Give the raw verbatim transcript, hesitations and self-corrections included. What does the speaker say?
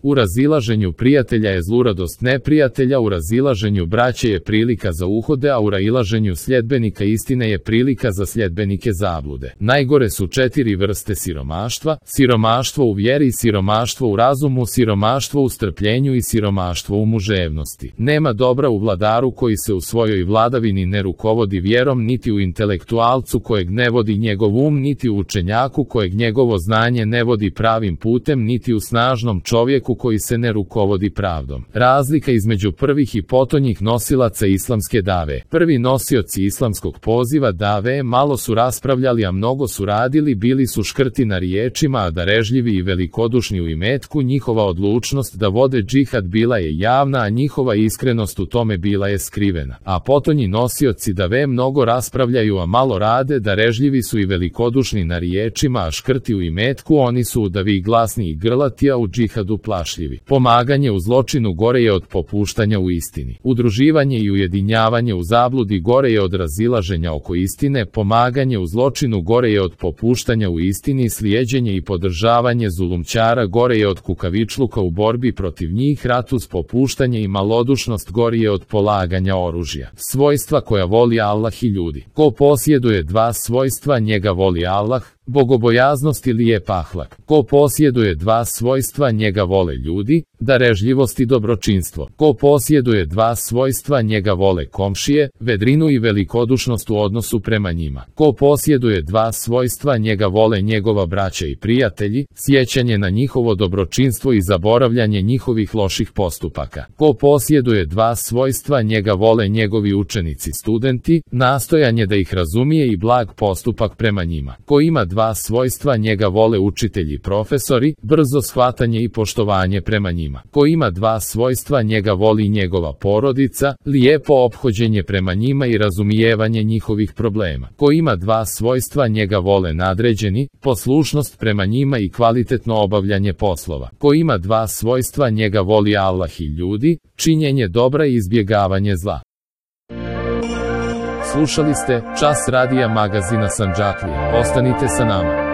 U razilaženju prijatelja je zluradost neprijatelja, u razilaženju braće je prilika za uhode, a u razilaženju sljedbenika istine je prilika za sljedbenike zablude. Najgore su četiri vrste siromaštva: siromaštvo u vjeri, siromaštvo u razumu, siromaštvo u strpljenju i siromaštvo u muževnosti. Nema dobra u vladaru koji se u svojoj vladavini ne rukovodi vjerom, niti u intelektualcu kojeg ne vodi njegov um, niti u učenjaku kojeg njegovo znanje ne vodi pravim putem, niti u snažnom čovjeku koji se ne rukovodi pravdom. Razlika između prvih i potonjih nosilaca islamske dave. Prvi nosioci islamskog poziva dave malo su raspravljali, a mnogo su radili, bili su škrti na riječima, a darežljivi i velikodušni u imetku. Njihova odlučnost da vode džihad bila je javna, a njihova iskrenost u tome bila je skrivena. A potonji nosioci dave mnogo raspravljaju, a malo rade, darežljivi su i velikodušni na riječima, a škrti u imetku. Oni su u davi glasni i grlati, a u džihadu plašljivi. Pomaganje u zločinu gore je od popuštanja u istini. Udruživanje i ujedinjavanje u zabludi gore je od razilaženja oko istine. Pomaganje u zločinu gore je od popuštanja u istini. Slijeđenje i podržavanje zulumčara gore je od kukavičluka u borbi protiv njih. Rat uz popuštanje i malodušnost gori je od polaganja oružja. Svojstva koja voli Allah i ljudi. Ko posjeduje dva svojstva, njega voli Allah: bogobojaznost i lijep ahlak. Ko posjeduje dva svojstva, njega vole ljudi: darežljivost i dobročinstvo. Ko posjeduje dva svojstva, njega vole komšije: vedrinu i velikodušnost u odnosu prema njima. Ko posjeduje dva svojstva, njega vole njegova braća i prijatelji: sjećanje na njihovo dobročinstvo i zaboravljanje njihovih loših postupaka. Ko posjeduje dva svojstva, njega vole njegovi učenici studenti: nastojanje da ih razumije i blag postupak prema njima. Ko ima dva svojstva, njega vole učitelji profesori: brzo shvatanje i poštovanje prema njima. Ko ima dva svojstva, njega voli njegova porodica: lijepo ophođenje prema njima i razumijevanje njihovih problema. Ko ima dva svojstva, njega vole nadređeni: poslušnost prema njima i kvalitetno obavljanje poslova. Ko ima dva svojstva, njega voli Allah i ljudi: činjenje dobra i izbjegavanje zla. Slušali ste Čas radija magazina Sandžaklija. Ostanite sa nama.